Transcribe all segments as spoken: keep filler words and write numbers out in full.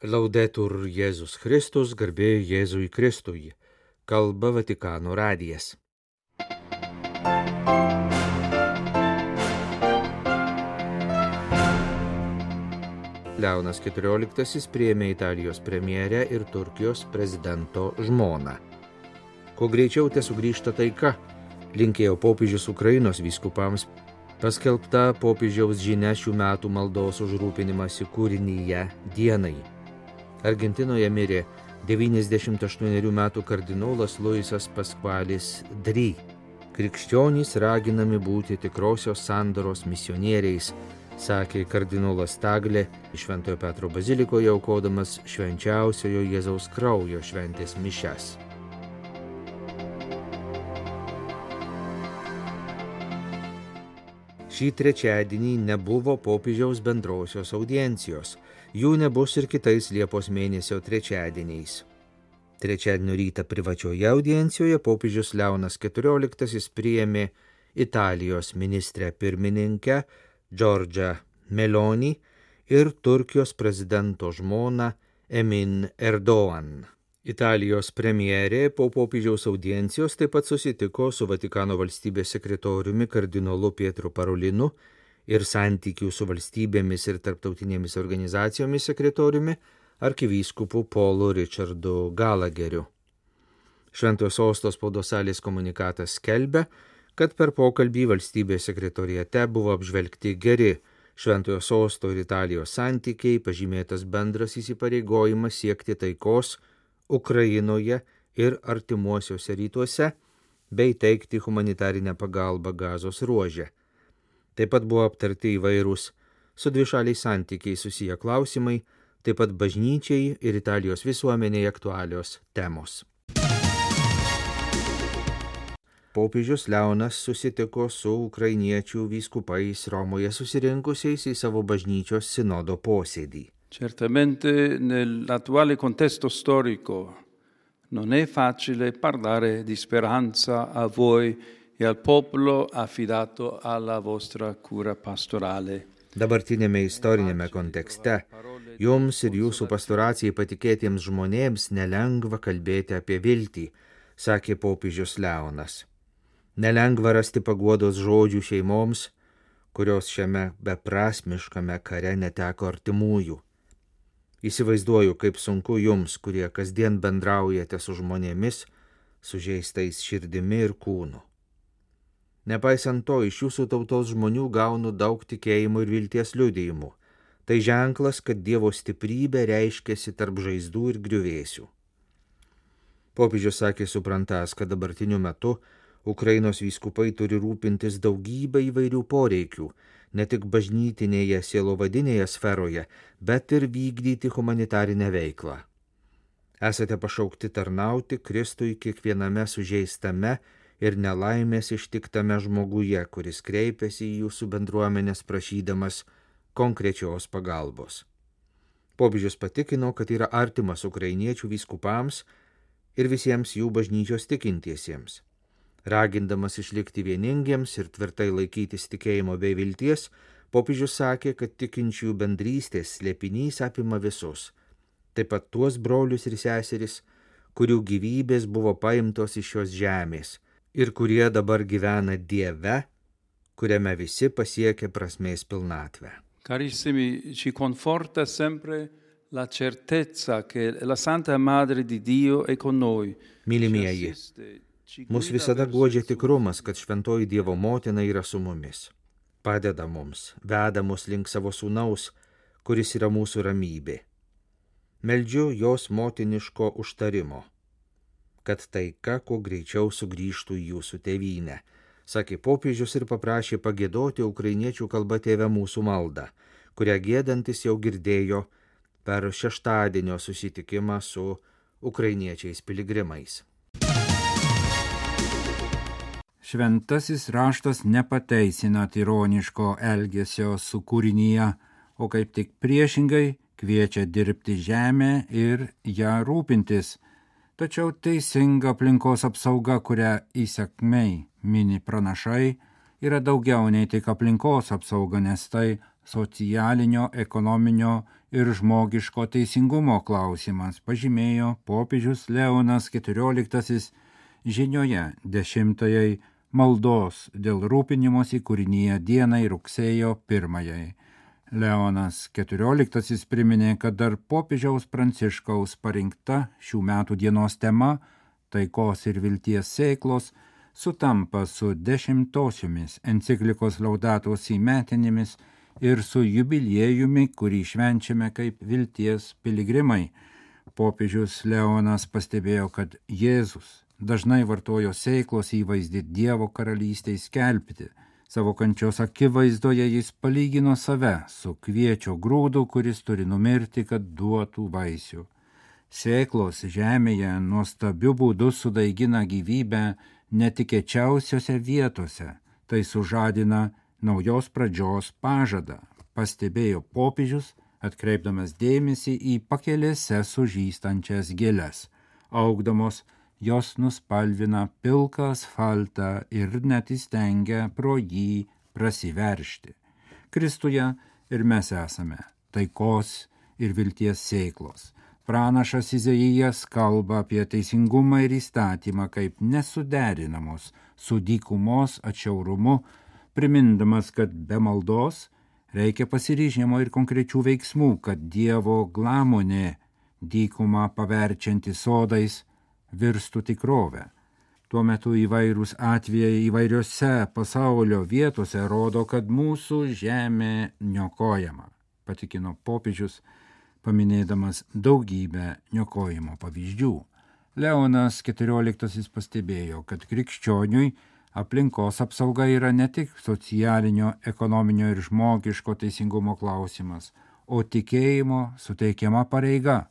Laudetur Jėzus Kristus, garbė Jėzui Kristui. Kalba Vatikano radijas. Leonas keturioliktasis priėmė Italijos premjerę ir Turkijos prezidento žmoną. Kuo greičiau te sugrįžta taika, linkėjo popiežius Ukrainos vyskupams. Paskelbta popiežiaus žinia šių metų maldos už rūpinimąsi kūrinyje dienai. Argentinoje mirė devyniasdešimt aštuonerių metų kardinolas Luisas Pasqualis Dri. Krikščionys raginami būti tikrosios sandoros misionieriais, sakė kardinolas Taglė Šventojo Petro bazilikoje aukodamas švenčiausiojo Jėzaus kraujo šventės mišias. Šį trečiadienį nebuvo popiežiaus bendrosios audiencijos. Jų nebus ir kitais Liepos mėnesio trečiadieniais. Trečiadienio rytą privačioje audiencijoje popiežius Leonas keturioliktasis priėmė Italijos ministrę pirmininkę Giorgia Meloni ir Turkijos prezidento žmoną Emin Erdoğan. Italijos premjerė po popiežiaus audiencijos taip pat susitiko su Vatikano valstybės sekretoriumi kardinolu Pietru Parolinu ir santykių su valstybėmis ir tarptautinėmis organizacijomis sekretoriumi arkivyskupu Paulu Richardu Gallagheriu. Šventojo sosto spaudos salės komunikatas skelbia, kad per pokalbį valstybės sekretoriate buvo apžvelgti geri Šventojo sosto ir Italijos santykiai, pažymėtas bendras įsipareigojimas siekti taikos Ukrainoje ir artimuosiuose rytuose bei teikti humanitarinę pagalbą Gazos ruože. Taip pat buvo aptarti įvairūs su dvišaliais santykiai susiję klausimai, taip pat bažnyčiai ir Italijos visuomeniai aktualios temos. Popiežius Leonas susitiko su ukrainiečių vyskupais Romoje susirinkusiais į savo bažnyčios sinodo posėdį. Certamente nell'attuale contesto storico non è facile parlare di speranza a voi e al popolo affidato alla vostra cura pastorale. Dabartinėme istorinėme kontekste jums ir jūsų pastoracijai patikėtiems žmonėms nelengva kalbėti apie viltį, sakė popiežius Leonas. Nelengva rasti paguodos žodžių šeimoms, kurios šiame beprasmiškame kare neteko artimųjų. Įsivaizduoju, kaip sunku jums, kurie kasdien bendraujate su žmonėmis, sužeistais širdimi ir kūnu. Nepaisant to, iš jūsų tautos žmonių gaunu daug tikėjimų ir vilties liudijimų. Tai ženklas, kad Dievo stiprybė reiškiasi tarp žaizdų ir griuvėsių. Popiežius sakė suprantas, kad dabartiniu metu Ukrainos vyskupai turi rūpintis daugybę įvairių poreikių, ne tik bažnytinėje sielovadinėje sferoje, bet ir vykdyti humanitarinę veiklą. Esate pašaukti tarnauti Kristui kiekviename sužeistame ir nelaimės ištiktame žmoguje, kuris kreipiasi į jūsų bendruomenės prašydamas konkrečios pagalbos. Popiežius patikino, kad yra artimas ukrainiečių vyskupams ir visiems jų bažnyčios tikintiesiems. Ragindamas išlikti vieningiems ir tvirtai laikytis tikėjimo bei vilties, popiežius sakė, kad tikinčiųjų bendrystės slėpinys apima visus, taip pat tuos brolius ir seseris, kurių gyvybės buvo paimtos iš šios žemės ir kurie dabar gyvena Dieve, kuriame visi pasiekia prasmės pilnatvę. Carissimi, ci conforta sempre la certezza che la Santa Madre di Dio è con noi. Mylimieji, mus visada guodžia tikrumas, kad šventoji Dievo motina yra su mumis. Padeda mums, veda mus link savo sūnaus, kuris yra mūsų ramybė. Meldžiu jos motiniško užtarimo, kad taika kuo greičiau sugrįžtų į jūsų tėvynę, sakė popiežius ir paprašė pagiedoti ukrainiečių kalba Tėve mūsų maldą, kurią giedantis jau girdėjo per šeštadienio susitikimą su ukrainiečiais piligrimais. Šventasis raštas nepateisina tironiško elgesio su kūrinyje, o kaip tik priešingai kviečia dirbti žemę ir ją rūpintis. Tačiau teisinga aplinkos apsauga, kurią įsakmiai mini pranašai, yra daugiau nei tik aplinkos apsauga, nes tai socialinio, ekonominio ir žmogiško teisingumo klausimas, pažymėjo popiežius Leonas keturioliktasis žinioje dešimtajai maldos dėl rūpinimosi kūrinyje dienai rugsėjo pirmajai. Leonas keturioliktasis priminė, kad dar popiežiaus Pranciškaus parinkta šių metų dienos tema taikos ir vilties sėklos sutampa su dešimtosiomis enciklikos Laudato Si metinėmis ir su jubiliejumi, kurį švenčiame kaip vilties piligrimai. Popiežius Leonas pastebėjo, kad Jėzus dažnai vartojo sėklos įvaizdį Dievo karalystei skelbti. Savo kančios akivaizdoje jis palygino save su kviečio grūdu, kuris turi numirti, kad duotų vaisių. Sėklos žemėje nuostabiu būdu sudaigina gyvybę netikėčiausiose vietose, tai sužadina naujos pradžios pažadą, pastebėjo popiežius, atkreipdamas dėmesį į pakelėse sužystančias gėles. Augdamos, jos nuspalvina pilką asfaltą ir net įstengia pro jį prasiveršti. Kristuje ir mes esame taikos ir vilties sėklos. Pranašas Izaijas kalba apie teisingumą ir įstatymą kaip nesuderinamus su dykumos atšiaurumu, primindamas, kad be maldos reikia pasiryžimo ir konkrečių veiksmų, kad Dievo glamonė dykumą paverčianti sodais virstų tikrovę. Tuo metu įvairūs atvejai įvairiose pasaulio vietose rodo, kad mūsų žemė niokojama, patikino popiežius, paminėdamas daugybę niokojimo pavyzdžių. Leonas keturioliktasis pastebėjo, kad krikščioniui aplinkos apsauga yra ne tik socialinio, ekonominio ir žmogiško teisingumo klausimas, o tikėjimo suteikiama pareiga,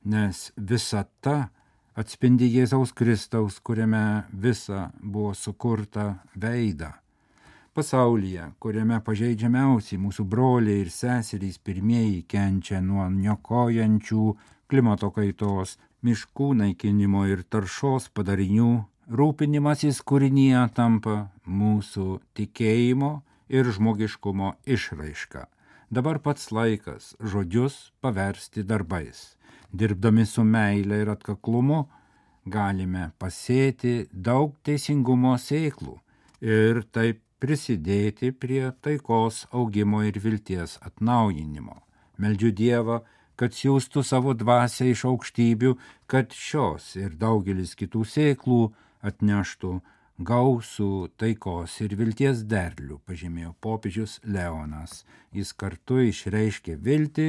nes visata atspindi Jėzaus Kristaus, kuriame visa buvo sukurta veidą. Pasaulyje, kuriame pažeidžiamiausiai mūsų broliai ir seserys pirmieji kenčia nuo niokojančių klimato kaitos, miškų naikinimo ir taršos padarinių, rūpinimasis kūrinyje tampa mūsų tikėjimo ir žmogiškumo išraiška. Dabar pats laikas žodžius paversti darbais. Dirbdami su meile ir atkaklumu galime pasėti daug teisingumo sėklų ir taip prisidėti prie taikos augimo ir vilties atnaujinimo. Meldžiu Dievą, kad siųstų savo dvasią iš aukštybių, kad šios ir daugelis kitų sėklų atneštų gausų taikos ir vilties derlių, pažymėjo popiežius Leonas. Jis kartu išreiškė viltį,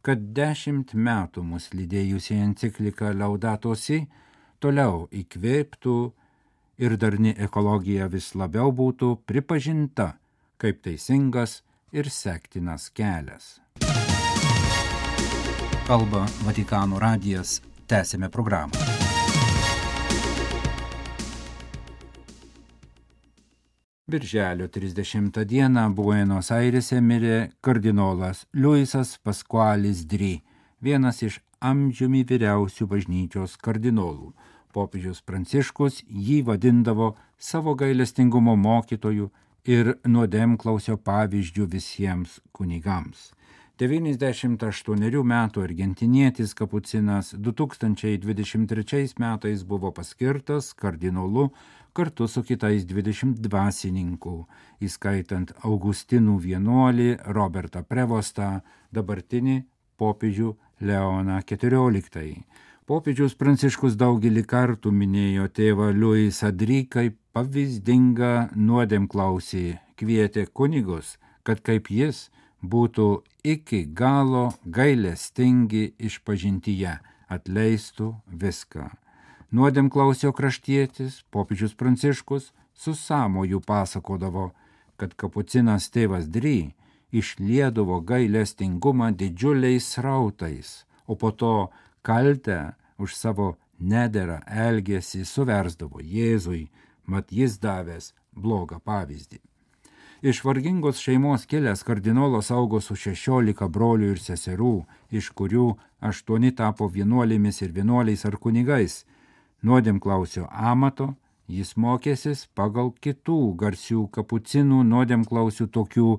kad dešimt metų mus lydėjusi enciklika Laudato Si toliau įkvėptų ir darni ekologija vis labiau būtų pripažinta kaip teisingas ir sektinas kelias. Kalba Vatikano radijas, tęsime programą. Birželio trisdešimtą dieną Buenos Airėse mirė kardinolas Luisas Pasqualis Dri, vienas iš amžiumi vyriausių bažnyčios kardinolų. Popiežius Pranciškus jį vadindavo savo gailestingumo mokytoju ir nuodėmklausio pavyzdžių visiems kunigams. devyniasdešimt aštuonerių metų argentinietis kapucinas du tūkstančiai dvidešimt trečiais metais buvo paskirtas kardinolu kartu su kitais dvidešimt dvasininkų, įskaitant Augustinų vienuolį Robertą Prevostą, dabartinį popiežių Leoną keturioliktąjį. Popiežius Pranciškus daugelį kartų minėjo tėvą Luisą Dri kaip pavyzdingą nuodėmklausį, kvietė kunigus, kad kaip jis būtų iki galo gailestingi išpažintyje, atleistų viską. Nuodėmklausio kraštietis, popiežius Pranciškus, su sąmoju pasakodavo, kad kapucinas tėvas Dri išliedavo gailestingumą didžiuliais srautais, o po to kaltę už savo nederą elgesį suversdavo Jėzui, mat jis davęs blogą pavyzdį. Iš vargingos šeimos kilęs kardinolas augo su šešiolika brolių ir seserų, iš kurių aštuoni tapo vienuolėmis ir vienuoliais ar kunigais. Nuodėmklausio amato jis mokėsis pagal kitų garsių kapucinų nuodėmklausių tokių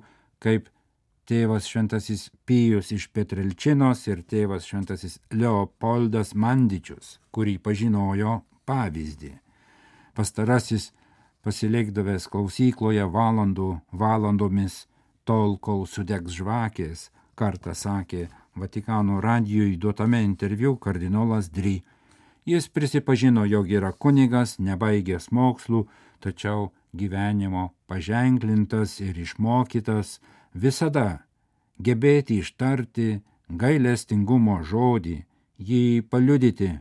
kaip tėvas šventasis Pijus iš Petrelčinos ir tėvas šventasis Leopoldas Mandičius, kurį pažinojo pavyzdį. Pastarasis, pasilikdavęs klausykloje valandų valandomis, tol kol sudegs žvakės, kartą sakė Vatikano radijui duotame interviu kardinolas Dry. Jis prisipažino, jog yra kunigas, nebaigęs mokslų, tačiau gyvenimo paženklintas ir išmokytas visada gebėti ištarti gailestingumo žodį, jį paliudyti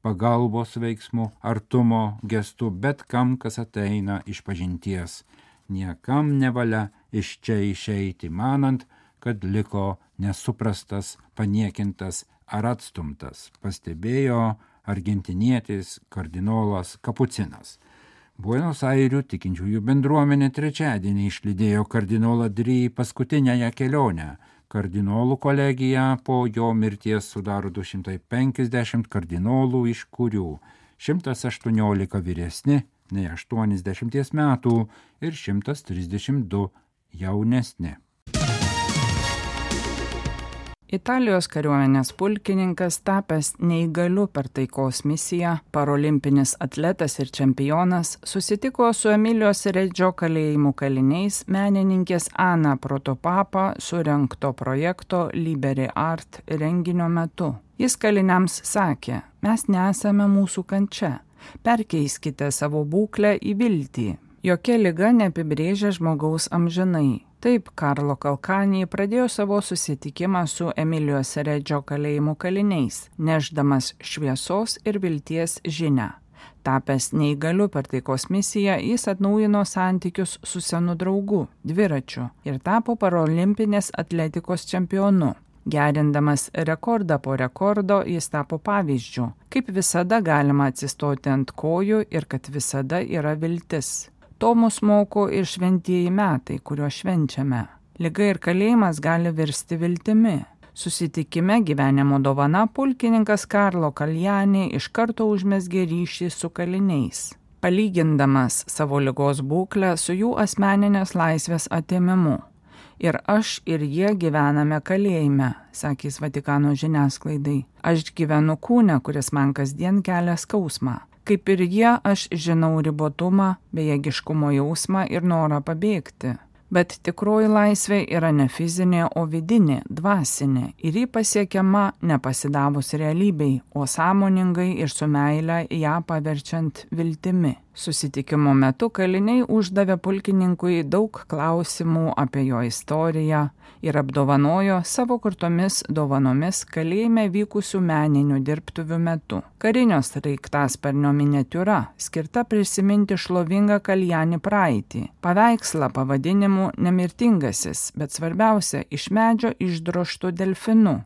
pagalbos veiksmu, artumo gestu bet kam, kas ateina iš pažinties. Niekam nevalia iš čia išeiti, manant, kad liko nesuprastas, paniekintas ar atstumtas, pastebėjo argentinietis kardinolas Kapucinas. Buenos Airių tikinčiųjų bendruomenė trečiadienį išlydėjo kardinolą Dry paskutinėje kelionę. Kardinolų kolegija po jo mirties sudaro du šimtai penkiasdešimt kardinolų, iš kurių šimtas aštuoniolika vyresni nei aštuoniasdešimties metų ir šimtas trisdešimt du jaunesni. Italijos kariuomenės pulkininkas, tapęs neįgaliu per taikos misiją, parolimpinis atletas ir čempionas, susitiko su Emilijos Redžio kalėjimų kaliniais menininkės Ana Protopapa surengto projekto Liberi Art renginio metu. Jis kaliniams sakė: mes nesame mūsų kančia, perkeiskite savo būklę į viltį. Jokia liga neapibrėžia žmogaus amžinai. Taip Karlo Kalkanį pradėjo savo susitikimą su Emilijos Redžio kalėjimų kaliniais, nešdamas šviesos ir vilties žinią. Tapęs neįgaliu per taikos misiją, jis atnaujino santykius su senu draugu, dviračiu, ir tapo parolimpinės atletikos čempionu. Gerindamas rekordą po rekordo, jis tapo pavyzdžiu, kaip visada galima atsistoti ant kojų ir kad visada yra viltis. To mus moko ir šventieji metai, kuriuos švenčiame. Liga ir kalėjimas gali virsti viltimi. Susitikime gyvenimo dovana pulkininkas Karlo Kaljani iš karto užmezgė ryšį su kaliniais, palygindamas savo ligos būklę su jų asmeninės laisvės atėmimu. Ir aš ir jie gyvename kalėjime, sakys Vatikano žiniasklaidai. Aš gyvenu kūne, kuris man kasdien kelia skausmą. Kaip ir jie, aš žinau ribotumą, bejėgiškumo jausmą ir norą pabėgti. Bet tikroji laisvė yra ne fizinė, o vidinė, dvasinė, ir ji pasiekiama nepasidavus realybei, o sąmoningai ir su meile ją paverčiant viltimi. Susitikimo metu kaliniai uždavė pulkininkui daug klausimų apie jo istoriją ir apdovanojo savo kurtomis dovanomis kalėjime vykusių meninių dirbtuvių metu. Karinio sraigtasparnio miniatiūra skirta prisiminti šlovingą Kaljani praeitį. Paveikslą pavadinimu Nemirtingasis, bet svarbiausia, iš medžio išdroštų delfinu,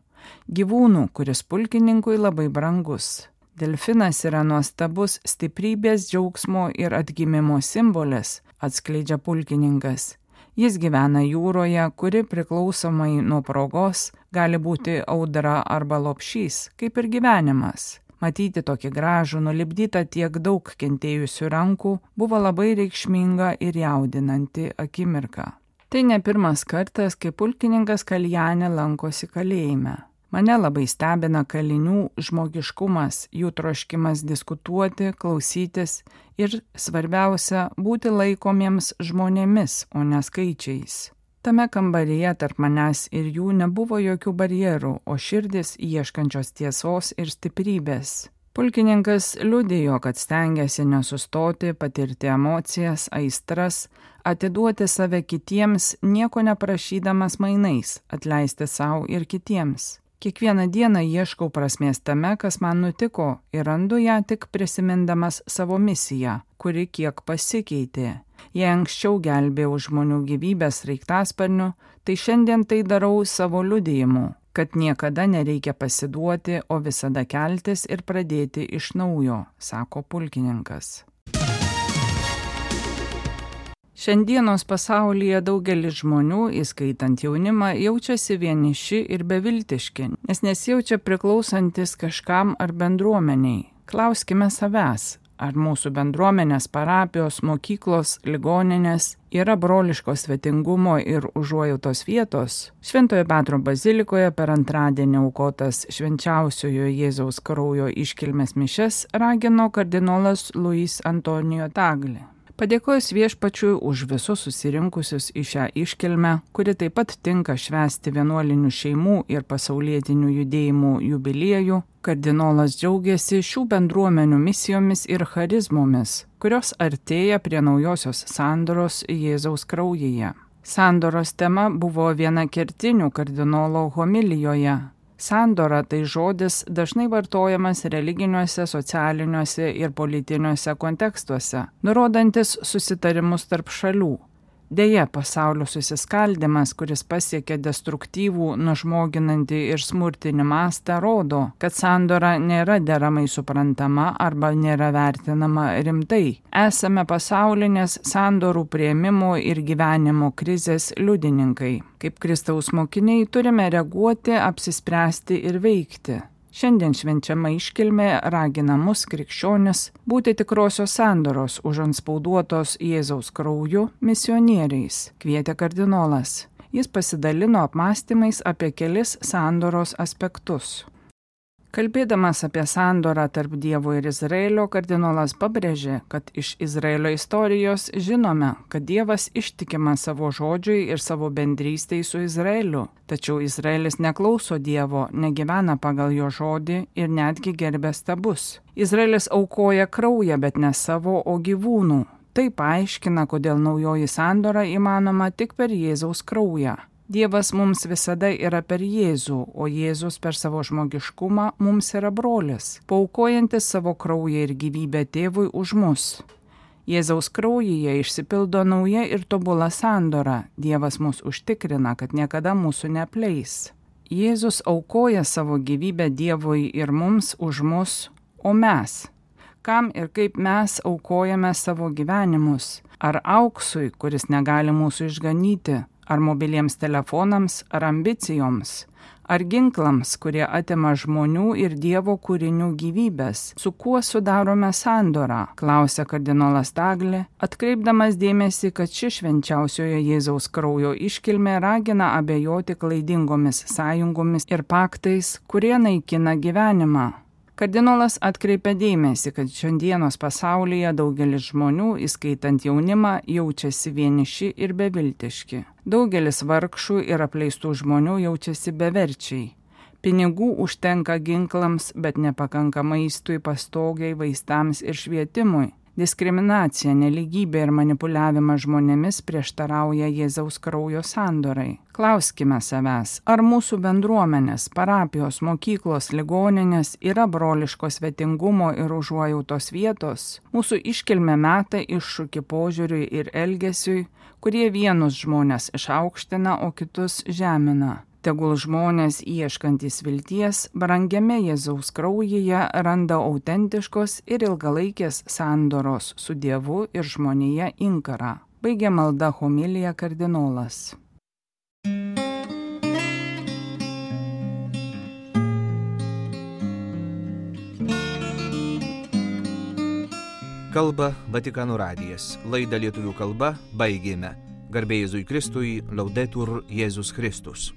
gyvūnų, kuris pulkininkui labai brangus. Delfinas yra nuostabus stiprybės, džiaugsmo ir atgimimo simbolis, atskleidžia pulkininkas. Jis gyvena jūroje, kuri priklausomai nuo progos gali būti audra arba lopšys, kaip ir gyvenimas. Matyti tokį gražų, nulipdytą tiek daug kentėjusių rankų buvo labai reikšminga ir jaudinanti akimirka. Tai ne pirmas kartas, kai pulkininkas Kaljani lankosi kalėjime. Mane labai stebina kalinių žmogiškumas, jų troškimas diskutuoti, klausytis ir, svarbiausia, būti laikomiems žmonėmis, o ne skaičiais. Tame kambaryje tarp manęs ir jų nebuvo jokių barjerų, o širdis ieškančios tiesos ir stiprybės. Pulkininkas liudijo, kad stengiasi nesustoti, patirti emocijas, aistras, atiduoti save kitiems, nieko neprašydamas mainais, atleisti savo ir kitiems. Kiekvieną dieną ieškau prasmės tame, kas man nutiko, ir randu ją tik prisimindamas savo misiją, kuri kiek pasikeitė. Jei anksčiau gelbėjau žmonių gyvybės sraigtasparniu, tai šiandien tai darau savo liudijimu, kad niekada nereikia pasiduoti, o visada keltis ir pradėti iš naujo, sako pulkininkas. Šiandienos pasaulyje daugelis žmonių, įskaitant jaunimą, jaučiasi vieniši ir beviltiški, nes nesijaučia priklausantis kažkam ar bendruomeniai. Klauskime savęs, ar mūsų bendruomenės, parapijos, mokyklos, ligoninės yra broliško svetingumo ir užuojautos vietos. Šventojo Petro bazilikoje per antradienį aukotas švenčiausiojo Jėzaus kraujo iškilmės mišias ragino kardinolas Luis Antonijo Tagle. Padėkojus Viešpačiui už visus susirinkusius į šią iškilmę, kuri taip pat tinka švęsti vienuolinių šeimų ir pasaulietinių judėjimų jubiliejų, kardinolas džiaugiasi šių bendruomenių misijomis ir charizmomis, kurios artėja prie naujosios sandoros Jėzaus kraujyje. Sandoros tema buvo viena kertinių kardinolo homilijoje. Sandora tai žodis dažnai vartojamas religiniuose, socialiniuose ir politiniuose kontekstuose, nurodantis susitarimus tarp šalių. Deja, pasaulio susiskaldimas, kuris pasiekia destruktyvų, nužmoginantį ir smurtinį mastą, rodo, kad sandora nėra deramai suprantama arba nėra vertinama rimtai. Esame pasaulinės sandorų priėmimo ir gyvenimo krizės liudininkai. Kaip Kristaus mokiniai turime reaguoti, apsispręsti ir veikti. Šiandien švenčiama iškilmė ragina mus krikščionis būti tikrosios sandoros užantspauduotos Jėzaus krauju misionieriais, kvietė kardinolas. Jis pasidalino apmąstymais apie kelis sandoros aspektus. Kalbėdamas apie sandorą tarp Dievo ir Izraelio, kardinolas pabrėžė, kad iš Izraelio istorijos žinome, kad Dievas ištikima savo žodžiui ir savo bendrystei su Izraeliu. Tačiau Izraelis neklauso Dievo, negyvena pagal jo žodį ir netgi gerbia stabus. Izraelis aukoja kraują, bet ne savo, o gyvūnų. Tai paaiškina, kodėl naujoji sandora įmanoma tik per Jėzaus kraują. Dievas mums visada yra per Jėzų, o Jėzus per savo žmogiškumą mums yra brolis, paaukojantis savo kraują ir gyvybę tėvui už mus. Jėzaus kraujyje išsipildo nauja ir tobula sandora. Dievas mus užtikrina, kad niekada mūsų neapleis. Jėzus aukoja savo gyvybę Dievui ir mums už mus, o mes? Kam ir kaip mes aukojame savo gyvenimus? Ar auksui, kuris negali mūsų išganyti? Ar mobiliems telefonams, ar ambicijoms, ar ginklams, kurie atima žmonių ir Dievo kūrinių gyvybės? Su kuo sudarome sandorą? Klausė kardinolas Tagle, atkreipdamas dėmesį, kad ši švenčiausiojo Jėzaus kraujo iškilmė ragina abejoti klaidingomis sąjungomis ir paktais, kurie naikina gyvenimą. Kardinolas atkreipia dėmesį, kad šiandienos pasaulyje daugelis žmonių, įskaitant jaunimą, jaučiasi vieniši ir beviltiški. Daugelis vargšų ir apleistų žmonių jaučiasi beverčiai. Pinigų užtenka ginklams, bet nepakanka maistui, pastogiai, vaistams ir švietimui. Diskriminacija, neligybė ir manipuliavimas žmonėmis prieštarauja Jėzaus kraujo sandorai. Klauskime savęs, ar mūsų bendruomenės, parapijos, mokyklos, ligoninės yra broliško svetingumo ir užuojautos vietos? Mūsų iškilmė meta iššūkį požiūriui ir elgesiui, kurie vienus žmonės išaukština, o kitus žemina. Tegul žmonės ieškantys vilties, brangiame Jėzaus kraujyje randa autentiškos ir ilgalaikės sandoros su Dievu ir žmonija inkarą. Baigė maldą homiliją kardinolas. Kalba Vatikano radijas. Laidą lietuvių kalba baigėme. Garbė Jėzui Kristui, Laudetur Jėzus Kristus.